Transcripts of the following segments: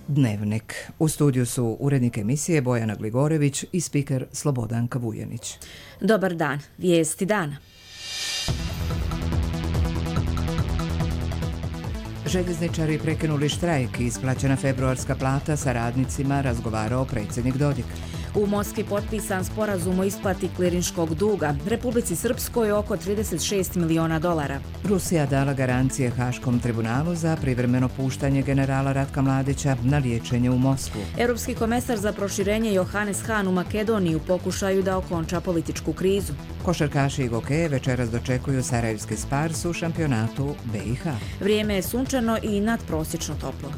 Dnevnik. U studiju su urednik emisije Bojana Gligorević i spiker Slobodanka Vujanić. Dobar dan. Vijesti dana. Željezničari prekinuli štrajk i isplaćena februarska plata sa radnicima, razgovarao predsjednik Dodik. U Moskvi potpisan sporazum o isplati klirinškog duga. Republici Srpskoj oko $36 miliona. Rusija dala garancije Haškom tribunalu za privremeno puštanje generala Ratka Mladića na liječenje u Moskvu. Europski komesar za proširenje Johannes Hahn u Makedoniji u pokušaju da okonča političku krizu. Košarkaši i gokeje večeras dočekuju sarajevski Spars u šampionatu BiH. Vrijeme je sunčano i nadprosječno toplo.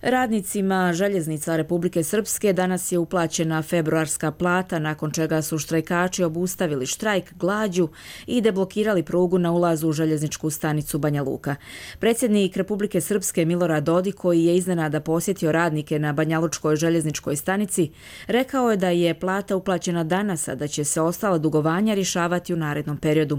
Radnicima željeznica Republike Srpske danas je uplaćena februarska plata, nakon čega su štrajkači obustavili štrajk, glađu i deblokirali prugu na ulazu u željezničku stanicu Banja Luka. Predsjednik Republike Srpske Milorad Dodik, koji je iznenada posjetio radnike na banjalučkoj željezničkoj stanici, rekao je da je plata uplaćena danas, a da će se ostala dugovanja rješavati u narednom periodu.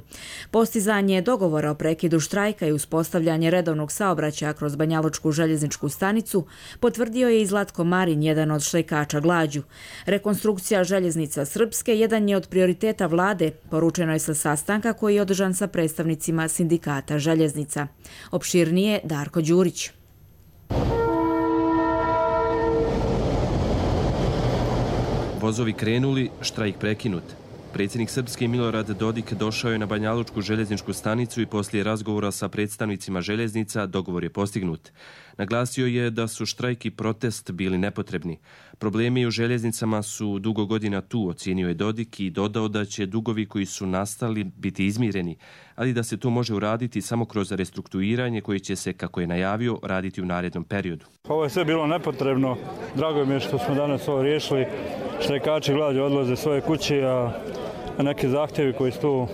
Postizanje dogovora o prekidu štrajka i uspostavljanje redovnog saobraćaja kroz banjalučku željezničku stanicu potvrdio je i Zlatko Marin, jedan od štrajkača glađu. Rekonstrukcija željeznica Srpske jedan je od prioriteta vlade, poručeno je sa sastanka koji je održan sa predstavnicima sindikata željeznica. Opširnije Darko Đurić. Vozovi krenuli, štrajk prekinut. Predsjednik Srpske Milorad Dodik došao je na banjalučku željezničku stanicu i poslije razgovora sa predstavnicima željeznica dogovor je postignut. Naglasio je da su štrajk i protest bili nepotrebni. Problemi u željeznicama su dugo godina tu, ocijenio je Dodik i dodao da će dugovi koji su nastali biti izmireni, ali da se to može uraditi samo kroz restrukturiranje koje će se, kako je najavio, raditi u narednom periodu. Ovo je sve bilo nepotrebno. Drago mi je što smo danas ovo riješili. Štrajkači glađu odlaze svoje kuće, a neki zahtjevi koji su tu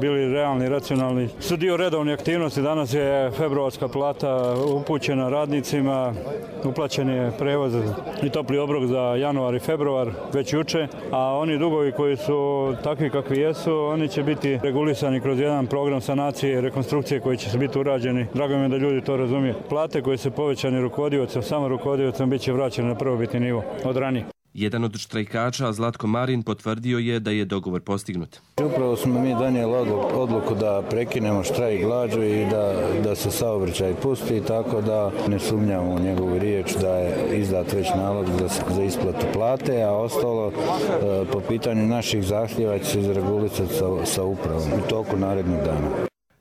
bili realni, racionalni su dio redovne aktivnosti. Danas je februarska plata upućena radnicima, uplaćen je prevoz i topli obrok za januar i februar već juče, a oni dugovi koji su takvi kakvi jesu, oni će biti regulisani kroz jedan program sanacije i rekonstrukcije koji će se biti urađeni. Drago mi je da ljudi to razumiju. Plate koje su povećane rukovodiocem, samo rukovodiocem, bit će vraćene na prvobitni nivo od ranije. Jedan od štrajkača, Zlatko Marin, potvrdio je da je dogovor postignut. Upravo smo mi donijeli odluku da prekinemo štrajk glađu i da se saobraćaj pusti, tako da ne sumnjamo u njegovu riječ da je izdat već nalog za isplatu plate, a ostalo po pitanju naših zahtjeva će se izregulisati sa upravom u toku narednog dana.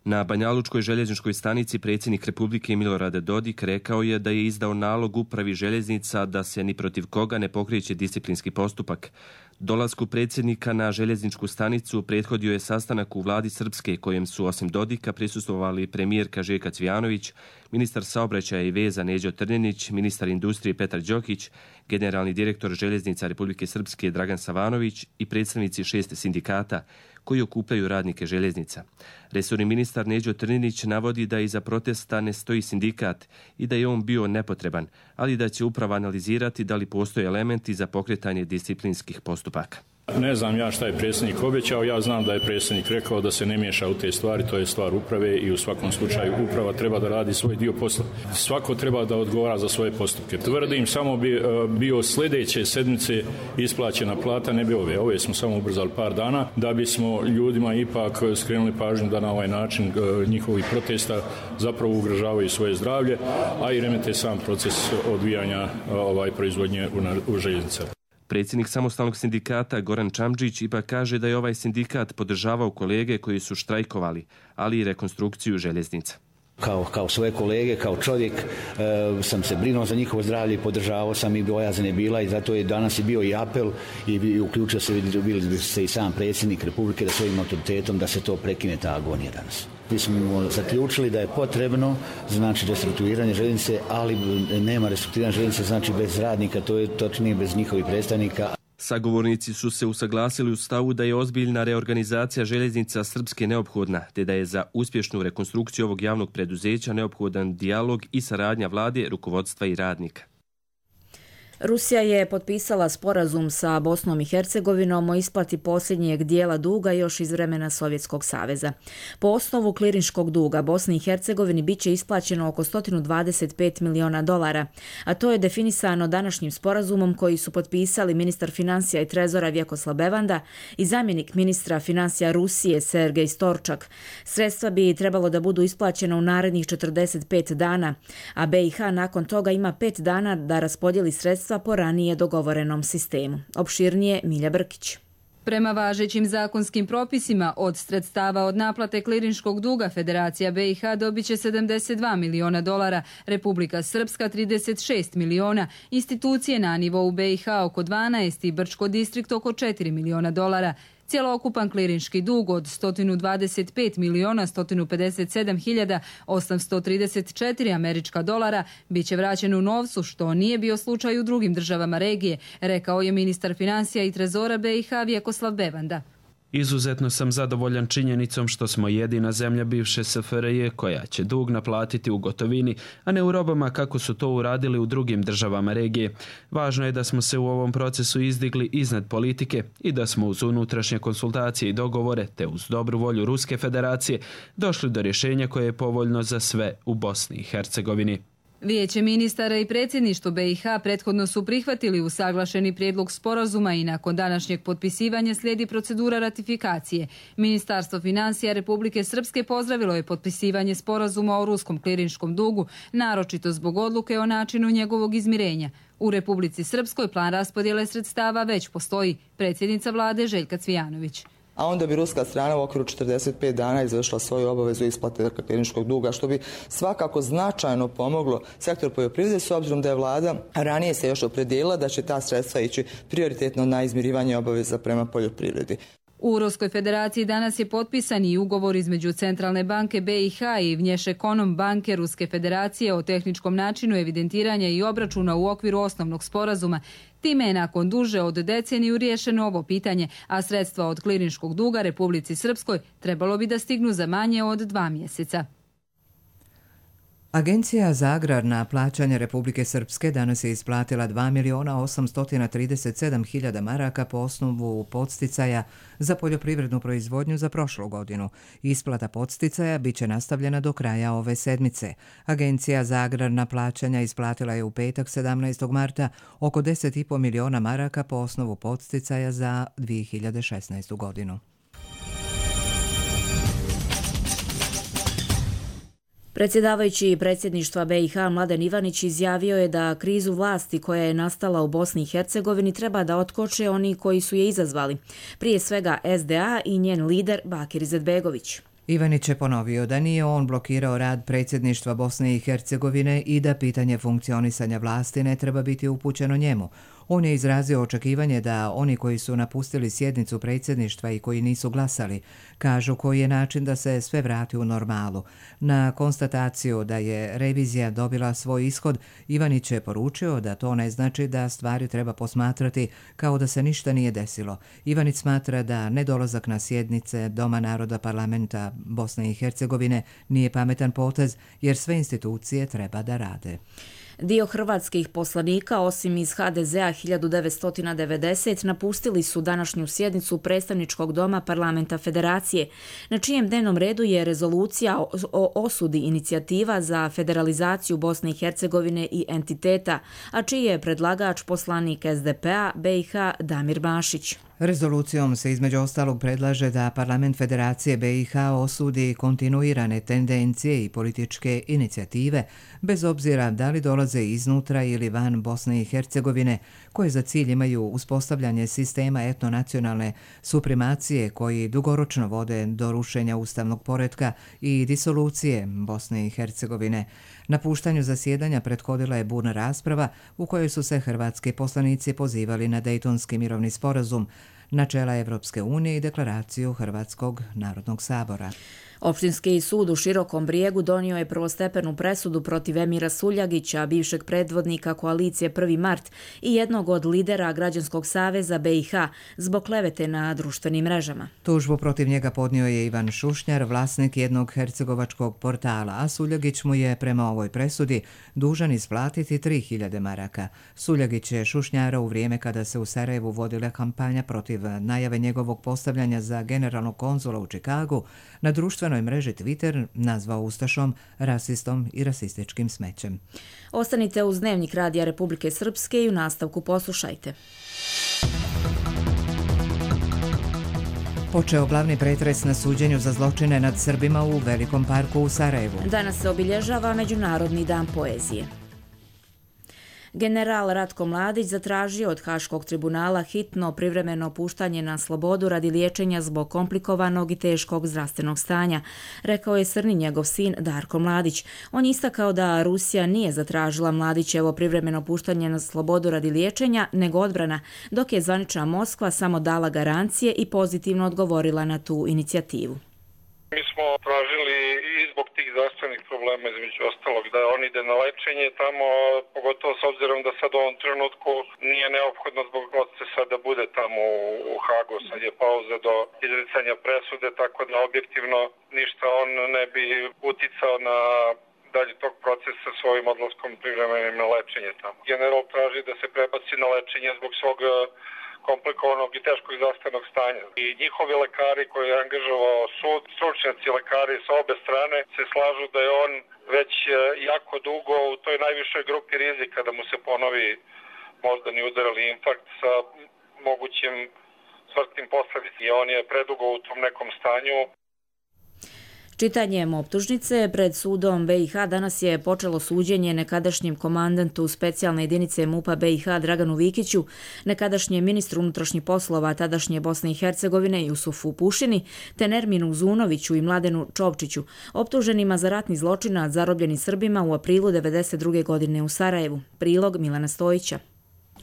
Na banjalučkoj željezničkoj stanici predsjednik Republike Milorad Dodik rekao je da je izdao nalog upravi željeznica da se ni protiv koga ne pokreće disciplinski postupak. Dolasku predsjednika na željezničku stanicu prethodio je sastanak u vladi Srpske kojem su osim Dodika prisustvovali premijerka Željka Cvijanović, ministar saobraćaja i veza Neđo Trnjenić, ministar industrije Petar Đokić, generalni direktor željeznica Republike Srpske Dragan Savanović i predstavnici 6 sindikata koji okupljaju radnike željeznica. Resorni ministar Neđo Trnjenić navodi da iza protesta ne stoji sindikat i da je on bio nepotreban, ali da će uprava analizirati da li postoje elementi za pokretanje disciplinskih postupaka. Ne znam ja šta je predsjednik obećao, ja znam da je predsjednik rekao da se ne miješa u te stvari, to je stvar uprave i u svakom slučaju uprava treba da radi svoj dio posla. Svako treba da odgovara za svoje postupke. Tvrdim, samo bi bio sljedeće sedmice isplaćena plata, ne bi ove smo samo ubrzali par dana, da bismo ljudima ipak skrenuli pažnju da na ovaj način njihovi protesta zapravo ugrožavaju svoje zdravlje, a i remete sam proces odvijanja proizvodnje u željeznicama. Predsjednik samostalnog sindikata Goran Čamdžić ipak kaže da je ovaj sindikat podržavao kolege koji su štrajkovali, ali i rekonstrukciju željeznica. Kao svoje kolege, kao čovjek sam se brinuo za njihovo zdravlje i podržavao sam i bojazan je bila i zato je danas i bio i apel i uključio se i sam predsjednik Republike da svojim autoritetom da se to prekine ta agonija danas. Mi smo zaključili da je potrebno, znači restrukturiranje željeznice, ali nema restrukturiranja željeznice, znači bez radnika, to je točnije bez njihovih predstavnika. Sagovornici su se usaglasili u stavu da je ozbiljna reorganizacija željeznica Srpske neophodna, te da je za uspješnu rekonstrukciju ovog javnog preduzeća neophodan dijalog i saradnja vlade, rukovodstva i radnika. Rusija je potpisala sporazum sa Bosnom i Hercegovinom o isplati posljednjeg dijela duga još iz vremena Sovjetskog saveza. Po osnovu klirinškog duga Bosni i Hercegovini bit će isplaćeno oko 125 miliona dolara, a to je definisano današnjim sporazumom koji su potpisali ministar financija i trezora Vjekoslav Bevanda i zamjenik ministra financija Rusije Sergej Storčak. Sredstva bi trebalo da budu isplaćena u narednih 45 dana, a BiH nakon toga ima 5 dana da raspodijeli sredstva po ranije dogovorenom sistemu. Opširnije Milja Brkić. Prema važećim zakonskim propisima, od sredstava od naplate klirinškog duga Federacija BiH dobit će 72 miliona dolara, Republika Srpska 36 miliona, institucije na nivou BiH oko 12 i Brčko distrikt oko 4 miliona dolara. Cjelookupan klirinški dug od 125 miliona 157 hiljada 834 američka dolara bit će vraćen u novcu, što nije bio slučaj u drugim državama regije, rekao je ministar financija i trezora BiH Vjekoslav Bevanda. Izuzetno sam zadovoljan činjenicom što smo jedina zemlja bivše SFRJ koja će dug naplatiti u gotovini, a ne u robama kako su to uradili u drugim državama regije. Važno je da smo se u ovom procesu izdigli iznad politike i da smo uz unutrašnje konsultacije i dogovore, te uz dobru volju Ruske federacije, došli do rješenja koje je povoljno za sve u Bosni i Hercegovini. Vijeće ministara i predsjedništvo BiH prethodno su prihvatili usaglašeni prijedlog sporazuma i nakon današnjeg potpisivanja slijedi procedura ratifikacije. Ministarstvo financija Republike Srpske pozdravilo je potpisivanje sporazuma o ruskom klirinškom dugu, naročito zbog odluke o načinu njegovog izmirenja. U Republici Srpskoj plan raspodjele sredstava već postoji, predsjednica vlade Željka Cvijanović. A onda bi ruska strana u okviru 45 dana izvršila svoju obavezu isplate klirinškog duga, što bi svakako značajno pomoglo sektor poljoprivrede, s obzirom da je vlada ranije se još opredijelila da će ta sredstva ići prioritetno na izmirivanje obaveza prema poljoprivredi. U Ruskoj federaciji danas je potpisan i ugovor između Centralne banke BiH i Vnješekonom banke Ruske federacije o tehničkom načinu evidentiranja i obračuna u okviru osnovnog sporazuma. Time je nakon duže od deceniju riješeno ovo pitanje, a sredstva od klirinškog duga Republici Srpskoj trebalo bi da stignu za manje od 2 mjeseca. Agencija za agrarna plaćanja Republike Srpske danas je isplatila 2.837.000 maraka po osnovu podsticaja za poljoprivrednu proizvodnju za prošlu godinu. Isplata podsticaja bit će nastavljena do kraja ove sedmice. Agencija za agrarna plaćanja isplatila je u petak 17. marta oko 10,5 miliona maraka po osnovu podsticaja za 2016. godinu. Predsjedavajući predsjedništva BiH Mladen Ivanić izjavio je da krizu vlasti koja je nastala u Bosni i Hercegovini treba da otkoče oni koji su je izazvali, prije svega SDA i njen lider Bakir Izetbegović. Ivanić je ponovio da nije on blokirao rad predsjedništva Bosne i Hercegovine i da pitanje funkcionisanja vlasti ne treba biti upućeno njemu. On je izrazio očekivanje da oni koji su napustili sjednicu predsjedništva i koji nisu glasali, kažu koji je način da se sve vrati u normalu. Na konstataciju da je revizija dobila svoj ishod, Ivanić je poručio da to ne znači da stvari treba posmatrati kao da se ništa nije desilo. Ivanić smatra da nedolazak na sjednice Doma naroda parlamenta Bosne i Hercegovine nije pametan potez jer sve institucije treba da rade. Dio hrvatskih poslanika, osim iz HDZ-a 1990, napustili su današnju sjednicu predstavničkog doma parlamenta Federacije, na čijem dnevnom redu je rezolucija o osudi inicijativa za federalizaciju Bosne i Hercegovine i entiteta, a čiji je predlagač poslanik SDP-a BiH Damir Bašić. Rezolucijom se između ostalog predlaže da parlament Federacije BiH osudi kontinuirane tendencije i političke inicijative, bez obzira da li dolaze iznutra ili van Bosne i Hercegovine, koje za cilj imaju uspostavljanje sistema etnonacionalne supremacije koji dugoročno vode do rušenja ustavnog poretka i disolucije Bosne i Hercegovine. Napuštanju zasjedanja prethodila je burna rasprava u kojoj su se hrvatski poslanici pozivali na Dejtonski mirovni sporazum, načela Evropske unije i deklaraciju Hrvatskog narodnog sabora. Opštinski sud u Širokom Brijegu donio je prvostepenu presudu protiv Emira Suljagića, bivšeg predvodnika koalicije 1. mart i jednog od lidera Građanskog saveza BiH, zbog klevete na društvenim mrežama. Tužbu protiv njega podnio je Ivan Šušnjar, vlasnik jednog hercegovačkog portala, a Suljagić mu je prema ovoj presudi dužan isplatiti 3000 maraka. Suljagić je Šušnjara u vrijeme kada se u Sarajevu vodila kampanja protiv najave njegovog postavljanja za generalnog konzula u Čikagu na društvenoj mreži Twitter nazvao ustašom, rasistom i rasističkim smećem. Ostanite uz Dnevnik Radija Republike Srpske i u nastavku poslušajte. Počeo glavni pretres na suđenju za zločine nad Srbima u Velikom parku u Sarajevu. Danas se obilježava Međunarodni dan poezije. General Ratko Mladić zatražio od Haškog tribunala hitno privremeno puštanje na slobodu radi liječenja zbog komplikovanog i teškog zdravstvenog stanja, rekao je Srni njegov sin Darko Mladić. On je istakao da Rusija nije zatražila Mladićevo privremeno puštanje na slobodu radi liječenja, nego odbrana, dok je zvanična Moskva samo dala garancije i pozitivno odgovorila na tu inicijativu. Mi smo tražili i zbog tih zdravstvenih problema, između ostalog, da on ide na lečenje tamo, pogotovo s obzirom da sad u ovom trenutku nije neophodno zbog procesa da bude tamo u Hagu. Sad je pauza do izricanja presude, tako da objektivno ništa on ne bi uticao na dalje tog procesa svojim odlaskom privremenim na lečenje tamo. General traži da se prebaci na lečenje zbog svog komplikovanog i teškog zdravstvenog stanja. I njihovi lekari koji je angažovao sud, stručnjaci lekari sa obe strane se slažu da je on već jako dugo u toj najvišoj grupi rizika da mu se ponovi moždani udar ili infarkt sa mogućim smrtnim posledicama. I on je predugo u tom nekom stanju. Čitanjem optužnice pred sudom BiH danas je počelo suđenje nekadašnjem komandantu specijalne jedinice MUP-a BiH Draganu Vikiću, nekadašnjem ministru unutrašnjih poslova tadašnje Bosne i Hercegovine Jusufu Pušini, te Nerminu Zunoviću i Mladenu Čovčiću, optuženima za ratni zločin nad zarobljenim Srbima u aprilu 1992. godine u Sarajevu. Prilog Milana Stojića.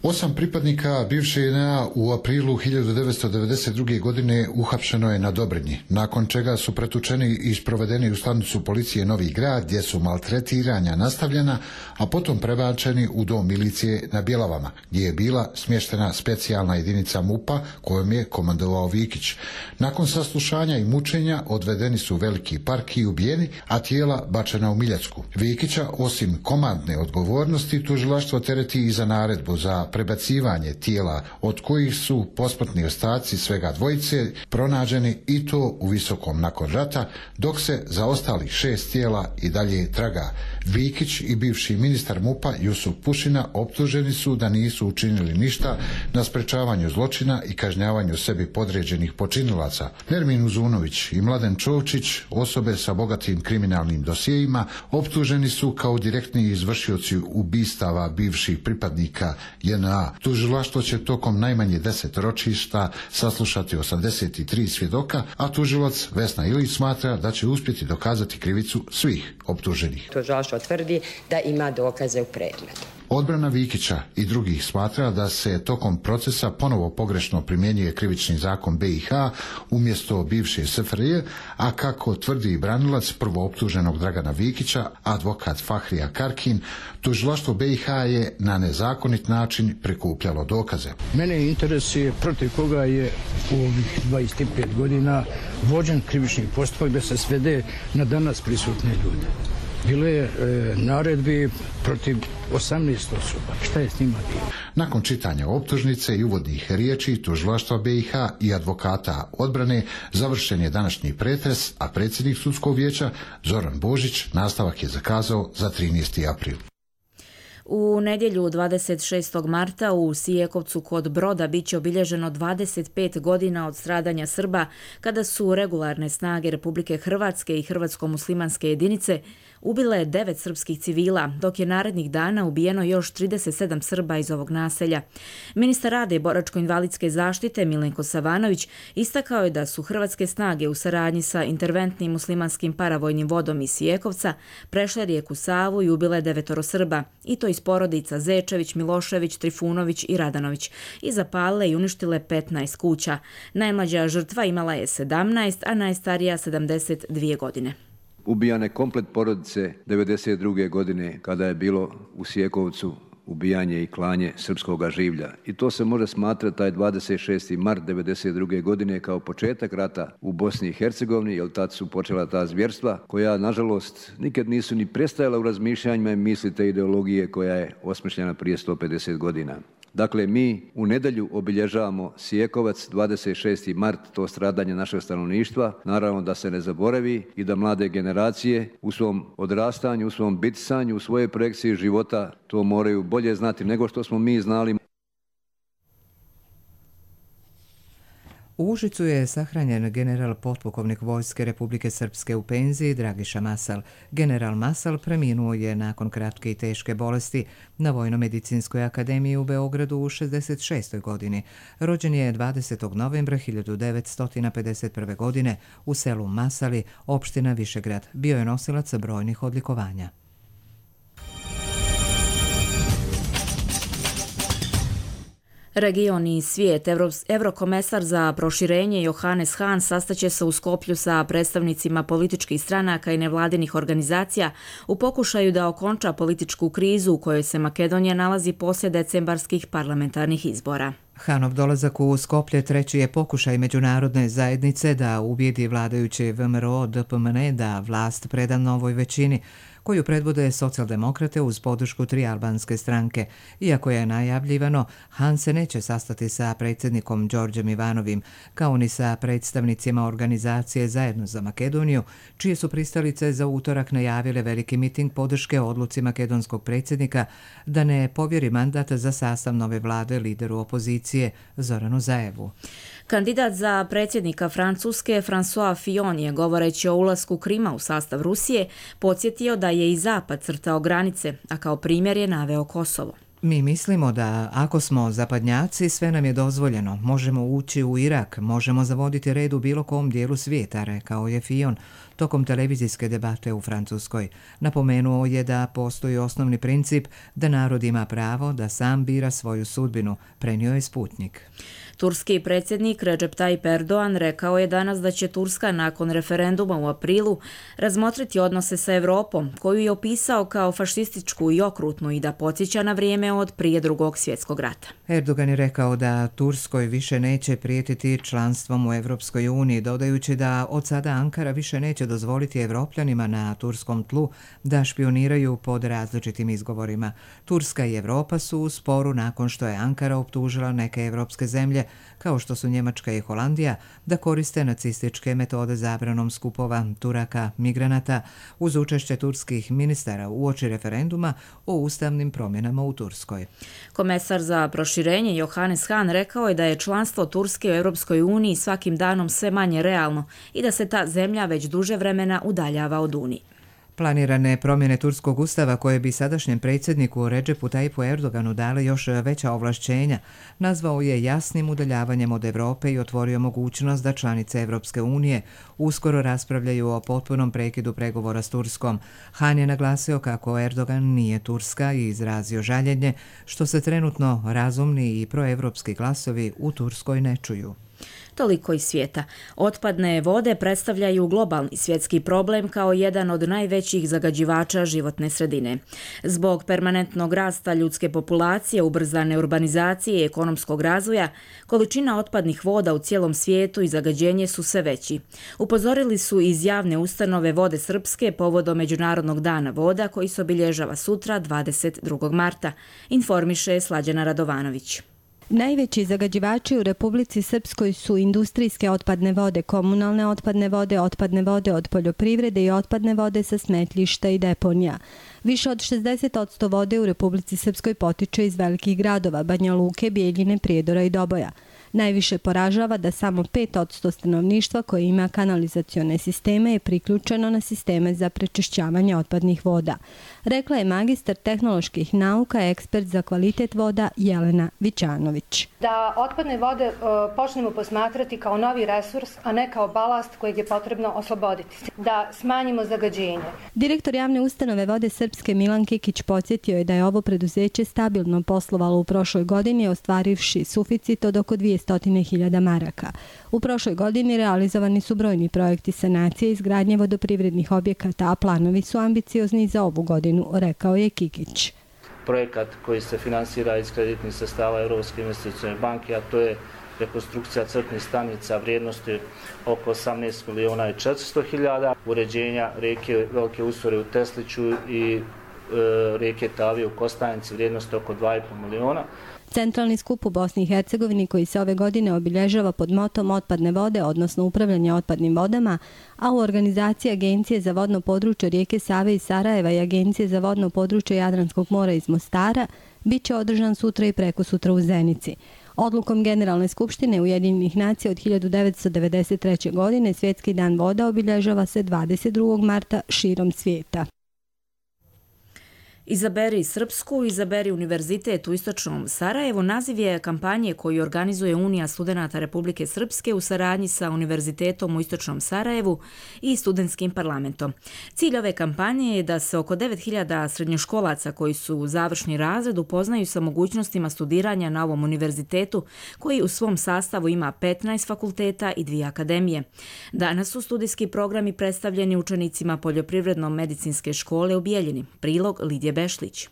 8 pripadnika bivše JNA u aprilu 1992. godine uhapšeno je na Dobrinji, nakon čega su pretučeni i sprovedeni u stanicu policije Novi Grad, gdje su maltretiranja nastavljena, a potom prebačeni u dom milicije na Bjelavama, gdje je bila smještena specijalna jedinica MUP-a kojom je komandovao Vikić. Nakon saslušanja i mučenja odvedeni su u Veliki park i ubijeni, a tijela bačena u Miljacku. Vikića, osim komandne odgovornosti, tužilaštvo tereti i za naredbu za prebacivanje tijela, od kojih su posmrtni ostaci svega dvojice pronađeni i to u Visokom nakon rata, dok se za ostalih 6 tijela i dalje traga. Vikić i bivši ministar MUP-a Jusuf Pušina optuženi su da nisu učinili ništa na sprečavanju zločina i kažnjavanju sebi podređenih počinilaca. Nermin Uzunović i Mladen Čovčić, osobe sa bogatim kriminalnim dosjejima, optuženi su kao direktni izvršioci ubistava bivših pripadnika JNA. Tužilaštvo će tokom najmanje 10 ročišta saslušati 83 svjedoka, a tužilac Vesna Ilić smatra da će uspjeti dokazati krivicu svih optuženih. Tužilaštvo tvrdi da ima dokaze u predmetu. Odbrana Vikića i drugih smatra da se tokom procesa ponovo pogrešno primjenjuje krivični zakon BiH umjesto bivše SFRJ, a kako tvrdi branilac prvooptuženog Dragana Vikića, advokat Fahrija Karkin, tužilaštvo BiH je na nezakonit način prikupljalo dokaze. Mene interesuje protiv koga je u ovih 25 godina vođen krivični postupak da se svede na danas prisutne ljude. Bilo je naredbi protiv 18 osoba. Šta je s njima bilo? Nakon čitanja optužnice i uvodnih riječi tužilaštva BiH i advokata odbrane završen je današnji pretres, a predsjednik sudskog vijeća Zoran Božić nastavak je zakazao za 13. april. U nedjelju 26. marta u Sijekovcu kod Broda biće obilježeno 25 godina od stradanja Srba kada su regularne snage Republike Hrvatske i hrvatsko-muslimanske jedinice ubile 9 srpskih civila, dok je narednih dana ubijeno još 37 Srba iz ovog naselja. Ministar rada i boračko-invalidske zaštite Milenko Savanović istakao je da su hrvatske snage u saradnji sa interventnim muslimanskim paravojnim vodom iz Sijekovca prešle rijeku Savu i ubile 9 Srba, i to iz porodica Zečević, Milošević, Trifunović i Radanović, i zapalile i uništile 15 kuća. Najmlađa žrtva imala je 17, a najstarija 72 godine. Ubijane komplet porodice 92. godine kada je bilo u Sijekovcu ubijanje i klanje srpskog življa. I to se može smatrati taj 26. mart 92. godine kao početak rata u Bosni i Hercegovini, jer tad su počela ta zvjerstva koja, nažalost, nikad nisu ni prestajala u razmišljanjima i misli te ideologije koja je osmišljena prije 150 godina. Dakle, mi u nedjelju obilježavamo Sijekovac, 26. mart, to stradanje našeg stanovništva. Naravno da se ne zaboravi i da mlade generacije u svom odrastanju, u svom bitisanju, u svojoj projekciji života to moraju bolje znati nego što smo mi znali. U Užicu je sahranjen general potpukovnik Vojske Republike Srpske u penziji Dragiša Masal. General Masal preminuo je nakon kratke i teške bolesti na Vojno-medicinskoj akademiji u Beogradu u 66. godini. Rođen je 20. novembra 1951. godine u selu Masali, opština Višegrad. Bio je nosilac brojnih odlikovanja. Region i svijet. Eurokomesar za proširenje Johannes Hahn sastaće se u Skoplju sa predstavnicima političkih stranaka i nevladinih organizacija u pokušaju da okonča političku krizu u kojoj se Makedonija nalazi poslije decembarskih parlamentarnih izbora. Hanov dolazak u Skoplje treći je pokušaj međunarodne zajednice da ubijedi vladajuće VMRO DPMN da vlast preda novoj većini, koju predvode socijaldemokrate uz podršku 3 albanske stranke. Iako je najavljivano, Han se neće sastati sa predsjednikom Đorđem Ivanovim, kao ni sa predstavnicima organizacije Zajedno za Makedoniju, čije su pristalice za utorak najavile veliki miting podrške odluci makedonskog predsjednika da ne povjeri mandat za sastav nove vlade lideru opozicije Zoranu Zaevu. Kandidat za predsjednika Francuske François Fillon je, govoreći o ulasku Krima u sastav Rusije, podsjetio da je i Zapad crtao granice, a kao primjer je naveo Kosovo. Mi mislimo da ako smo zapadnjaci, sve nam je dozvoljeno. Možemo ući u Irak, možemo zavoditi red u bilo kom dijelu svijeta, rekao je Fillon tokom televizijske debate u Francuskoj. Napomenuo je da postoji osnovni princip da narod ima pravo da sam bira svoju sudbinu, prenio je Sputnik. Turski predsjednik Recep Tayyip Erdogan rekao je danas da će Turska nakon referenduma u aprilu razmotriti odnose sa Europom, koju je opisao kao fašističku i okrutnu i da podsjeća na vrijeme od prije Drugog svjetskog rata. Erdogan je rekao da Turskoj više neće prijetiti članstvom u Europskoj uniji, dodajući da od sada Ankara više neće dozvoliti Evropljanima na turskom tlu da špioniraju pod različitim izgovorima. Turska i Europa su u sporu nakon što je Ankara optužila neke evropske zemlje, kao što su Njemačka i Holandija, da koriste nacističke metode zabranom skupova Turaka, migranata, uz učešće turskih ministara uoči referenduma o ustavnim promjenama u Turskoj. Komesar za proširenje Johannes Hahn rekao je da je članstvo Turske u Europskoj uniji svakim danom sve manje realno i da se ta zemlja već duže vremena udaljava od Unije. Planirane promjene turskog ustava koje bi sadašnjem predsjedniku Recepu Tayyipu Erdoganu dale još veća ovlašćenja, nazvao je jasnim udaljavanjem od Europe i otvorio mogućnost da članice Europske unije uskoro raspravljaju o potpunom prekidu pregovora s Turskom. Han je naglasio kako Erdogan nije Turska i izrazio žaljenje što se trenutno razumni i proevropski glasovi u Turskoj ne čuju. Toliko iz svijeta. Otpadne vode predstavljaju globalni svjetski problem kao jedan od najvećih zagađivača životne sredine. Zbog permanentnog rasta ljudske populacije, ubrzane urbanizacije i ekonomskog razvoja, količina otpadnih voda u cijelom svijetu i zagađenje su sve veći. Upozorili su iz javne ustanove Vode Srpske povodom Međunarodnog dana voda koji se obilježava sutra 22. marta, informiše Slađana Radovanović. Najveći zagađivači u Republici Srpskoj su industrijske otpadne vode, komunalne otpadne vode od poljoprivrede i otpadne vode sa smetlišta i deponija. Više od 60% vode u Republici Srpskoj potiče iz velikih gradova, Banja Luke, Bijeljine, Prijedora i Doboja. Najviše poražava da samo 5% stanovništva koje ima kanalizacione sisteme je priključeno na sisteme za prečišćavanje otpadnih voda. Rekla je magistar tehnoloških nauka, ekspert za kvalitet voda Jelena Vićanović. Da otpadne vode počnemo posmatrati kao novi resurs, a ne kao balast kojeg je potrebno osloboditi. Da smanjimo zagađenje. Direktor javne ustanove Vode Srpske Milan Kikić podsjetio je da je ovo preduzeće stabilno poslovalo u prošloj godini, ostvarivši suficit od oko 200.000 maraka. U prošloj godini realizovani su brojni projekti sanacije i izgradnje vodoprivrednih objekata, a planovi su ambiciozni za ovu godinu, rekao je Kikić. Projekat koji se finansira iz kreditnih sredstava Europske investicione banke, a to je rekonstrukcija crpnih stanica vrijednosti oko 18.400.000, uređenja rijeke Velike Usore u Tesliću i rijeke Tavije u Kostajnici vrijednosti oko 2,5 miliona. Centralni skup u Bosni i Hercegovini koji se ove godine obilježava pod motom otpadne vode, odnosno upravljanje otpadnim vodama, a u organizaciji Agencije za vodno područje rijeke Save iz Sarajeva i Agencije za vodno područje Jadranskog mora iz Mostara, bit će održan sutra i prekosutra u Zenici. Odlukom Generalne skupštine Ujedinjenih nacija od 1993. godine Svjetski dan voda obilježava se 22. marta širom svijeta. Izaberi Srpsku, izaberi univerzitet u istočnom Sarajevu naziv je kampanje koju organizuje Unija studenata Republike Srpske u saradnji sa Univerzitetom u istočnom Sarajevu i studentskim parlamentom. Cilj ove kampanje je da se oko 9.000 srednjoškolaca koji su u završni razred upoznaju sa mogućnostima studiranja na ovom univerzitetu koji u svom sastavu ima 15 fakulteta i 2 akademije. Danas su studijski programi predstavljeni učenicima Poljoprivredno-medicinske škole u Bijeljini. Prilog Lidije Bešlić.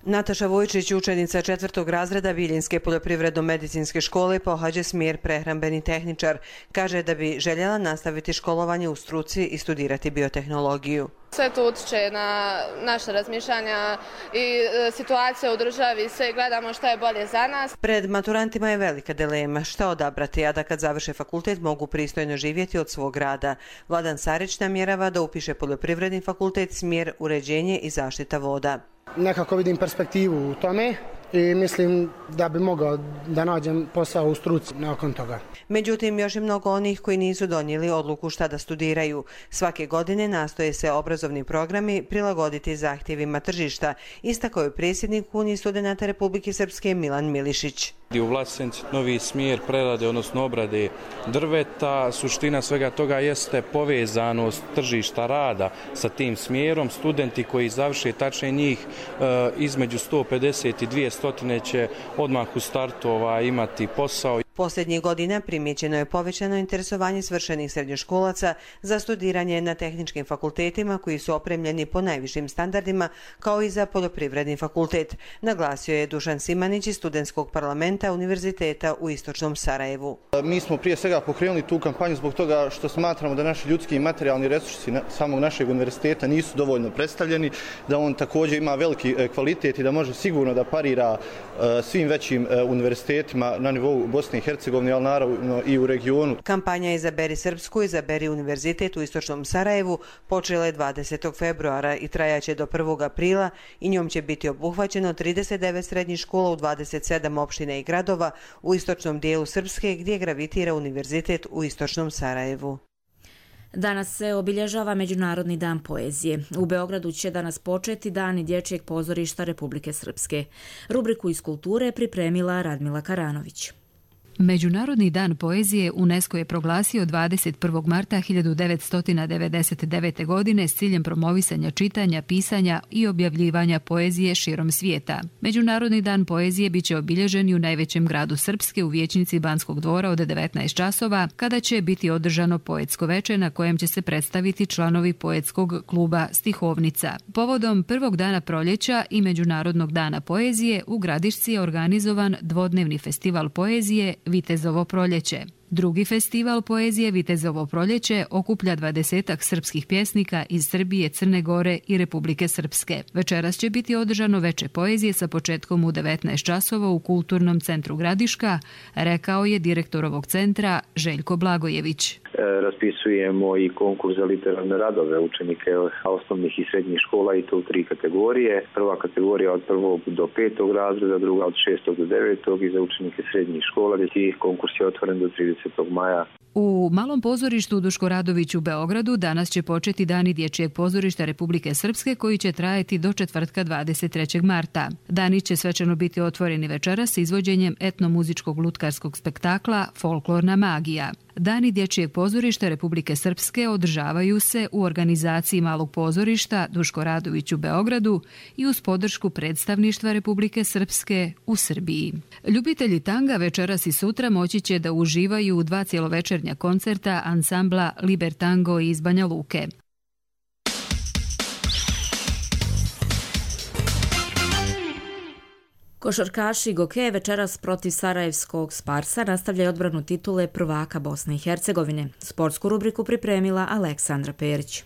Nataša Vojčić, učenica 4. razreda Bijeljinske poljoprivredno-medicinske škole, pohađa smjer prehrambeni tehničar. Kaže da bi željela nastaviti školovanje u struci i studirati biotehnologiju. Sve to utiče na naše razmišljanja i situacija u državi, sve gledamo šta je bolje za nas. Pred maturantima je velika dilema šta odabrati, a da kad završe fakultet mogu pristojno živjeti od svog rada. Vladan Sarić namjerava da upiše poljoprivredni fakultet, smjer uređenje i zaštita voda. Nekako vidim perspektivu u tome i mislim da bi mogao da nađem posao u struci nakon toga. Međutim, još je mnogo onih koji nisu donijeli odluku šta da studiraju. Svake godine nastoje se obrazovni programi prilagoditi zahtjevima tržišta, istakao je predsjednik Unije studenata Republike Srpske Milan Milišić. U Vlasenci novi smjer prerade, odnosno obrade drveta. Suština svega toga jeste povezanost tržišta rada sa tim smjerom. Studenti koji završe, tačnije njih između 150 i 200 će odmah u startu imati posao. Posljednjih godina primjećeno je povećano interesovanje svršenih srednjoškolaca za studiranje na tehničkim fakultetima koji su opremljeni po najvišim standardima, kao i za poljoprivredni fakultet, naglasio je Dušan Simanić iz studentskog parlamenta Univerziteta u istočnom Sarajevu. Mi smo prije svega pokrenuli tu kampanju zbog toga što smatramo da naši ljudski i materijalni resursi samog našeg univerziteta nisu dovoljno predstavljeni, da on također ima veliki kvalitet i da može sigurno da parira svim većim univerzitetima na nivou Bosne i Hercegovine, ali naravno i u regionu. Kampanja Izaberi Srpsku, izaberi univerzitet u istočnom Sarajevu počela je 20. februara i trajaće do 1. aprila i njom će biti obuhvaćeno 39 srednjih škola u 27 opština i gradova u istočnom dijelu Srpske gdje gravitira univerzitet u istočnom Sarajevu. Danas se obilježava Međunarodni dan poezije. U Beogradu će danas početi Dani dječjeg pozorišta Republike Srpske. Rubriku iz kulture pripremila Radmila Karanović. Međunarodni dan poezije UNESCO je proglasio 21. marta 1999. godine s ciljem promovisanja čitanja, pisanja i objavljivanja poezije širom svijeta. Međunarodni dan poezije biće obilježen i u najvećem gradu Srpske u vijećnici Banskog dvora od 19 časova, kada će biti održano poetsko veče na kojem će se predstaviti članovi poetskog kluba Stihovnica. Povodom prvog dana proljeća i Međunarodnog dana poezije u Gradišci je organizovan dvodnevni festival poezije Vitezovo proljeće. Drugi festival poezije Vitezovo proljeće okuplja 20 srpskih pjesnika iz Srbije, Crne Gore i Republike Srpske. Večeras će biti održano veče poezije sa početkom u 19 časova u Kulturnom centru Gradiška, rekao je direktor ovog centra Željko Blagojević. raspisujemo i konkurs za literarne radove učenike osnovnih i srednjih škola i to u 3 kategorije. Prva kategorija od 1. do 5. razreda, druga od 6. do 9. i za učenike srednjih škola, gdje konkurs je otvoren do 30. maja. U Malom pozorištu Duško Radović u Beogradu danas će početi Dani dječjeg pozorišta Republike Srpske koji će trajati do četvrtka 23. marta. Dani će svečano biti otvoreni večeras s izvođenjem etnomuzičkog lutkarskog spektakla Folklorna magija. Dani dječjeg pozorišta Republike Srpske održavaju se u organizaciji Malog pozorišta Duško Radović u Beogradu i uz podršku predstavništva Republike Srpske u Srbiji. Ljubitelji tanga večeras i sutra moći će da uživaju u 2 cjelovečernja koncerta ansambla Liber Tango iz Banja Luke. Košarkaši Goke večeras protiv sarajevskog Sparsa nastavljaju odbranu titule prvaka Bosne i Hercegovine. Sportsku rubriku pripremila Aleksandra Perić.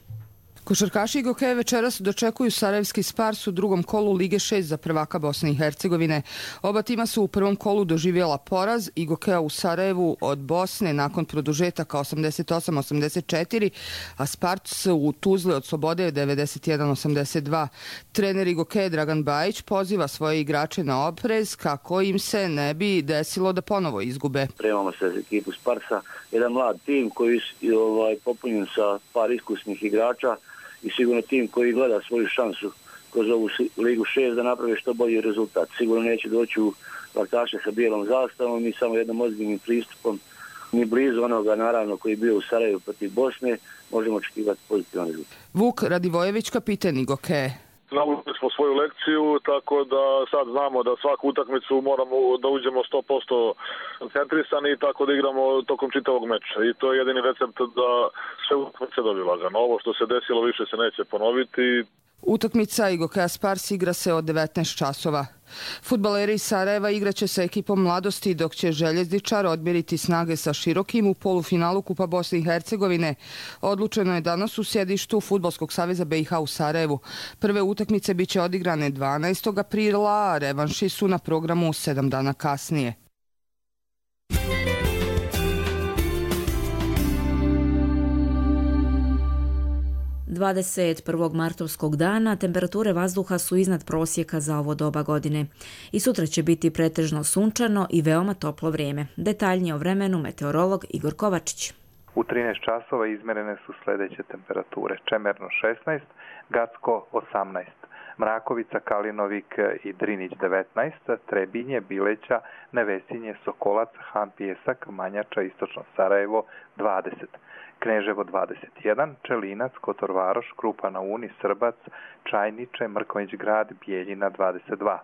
Košarkaši Goke večeras dočekuju sarajevski Spars u drugom kolu Lige 6 za prvaka Bosne i Hercegovine. Oba tima su u prvom kolu doživjela poraz i Gokea u Sarajevu od Bosne nakon produžetaka 88-84, a Spars u Tuzli od Slobode 91-82. Trener Goke Dragan Bajić poziva svoje igrače na oprez kako im se ne bi desilo da ponovo izgube. Spremamo se za ekipu Sparsa, jedan mlad tim koji je popunjen sa par iskusnih igrača i sigurno tim koji gleda svoju šansu kroz ovu Ligu 6 da napravi što bolji rezultat. Sigurno neće doći u laktaše sa bijelom zastavom i samo jednom ozbiljnim pristupom, ni blizu onoga naravno koji je bio u Sarajevu protiv Bosne, možemo očekivati pozitivan rezultat. Vuk Radivojević, kapiten Goke. Naučili smo svoju lekciju, tako da sad znamo da svaku utakmicu moramo da uđemo 100% koncentrisani i tako da igramo tokom čitavog meča. I to je jedini recept da sve utakmice dobiju lagano. Ovo što se desilo više se neće ponoviti. Utakmica Gokea Spars igra se od 19 časova. Fudbaleri iz Sarajeva igraće sa ekipom Mladosti, dok će Željezničar odmjeriti snage sa Širokim u polufinalu Kupa Bosne i Hercegovine. Odlučeno je danas u sjedištu Fudbalskog saveza BiH u Sarajevu. Prve utakmice biće odigrane 12. aprila, a revanši su na programu 7 dana kasnije. 21. martovskog dana temperature vazduha su iznad prosjeka za ovo doba godine. I sutra će biti pretežno sunčano i veoma toplo vrijeme. Detaljnije o vremenu meteorolog Igor Kovačić. U 13 časova izmjerene su sljedeće temperature. Čemerno 16, Gacko 18, Mrakovica, Kalinovik i Drinić 19, Trebinje, Bileća, Nevesinje, Sokolac, Han Pijesak, Manjača, Istočno Sarajevo 20. Kneževo 21, Čelinac, Kotor Varoš, Krupa na Uni, Srbac, Čajniče, Mrkonjić Grad, Bijeljina 22.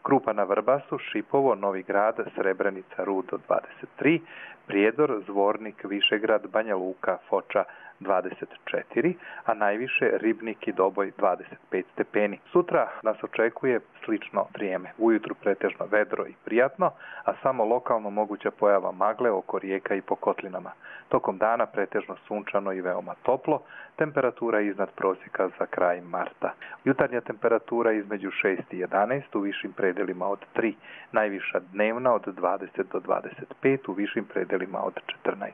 Krupa na Vrbasu, Šipovo, Novi Grad, Srebrenica, Rudo 23, Prijedor, Zvornik, Višegrad, Banja Luka, Foča 24, a najviše Ribnik i Doboj 25 stepeni. Sutra nas očekuje slično vrijeme. Ujutru pretežno vedro i prijatno, a samo lokalno moguća pojava magle oko rijeka i po kotlinama. Tokom dana pretežno sunčano i veoma toplo, temperatura iznad prosjeka za kraj marta. Jutarnja temperatura između 6 i 11, u višim predelima od 3, najviša dnevna od 20 do 25, u višim predelima od 14.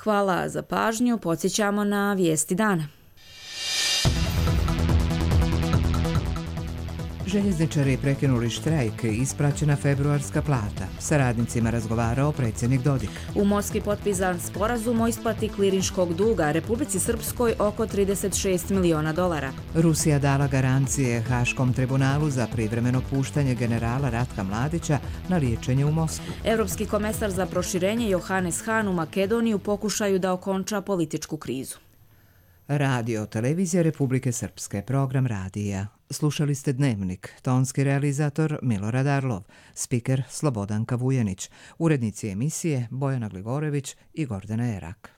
Hvala za pažnju, podsjećamo na vijesti dana. Željezničari prekinuli štrajk, ispraćena februarska plata. Sa radnicima razgovarao predsjednik Dodik. U Moskvi potpisan sporazum o isplati klirinškog duga Republici Srpskoj oko $36 miliona. Rusija dala garancije Haškom tribunalu za privremeno puštanje generala Ratka Mladića na liječenje u Moskvu. Europski komesar za proširenje Johannes Hahn u Makedoniju pokušaju da okonča političku krizu. Radio Televizija Republike Srpske, program radija. Slušali ste Dnevnik, tonski realizator Milorad Arlov, spiker Slobodanka Vujanić, urednici emisije Bojana Gligorević i Gordana Erak.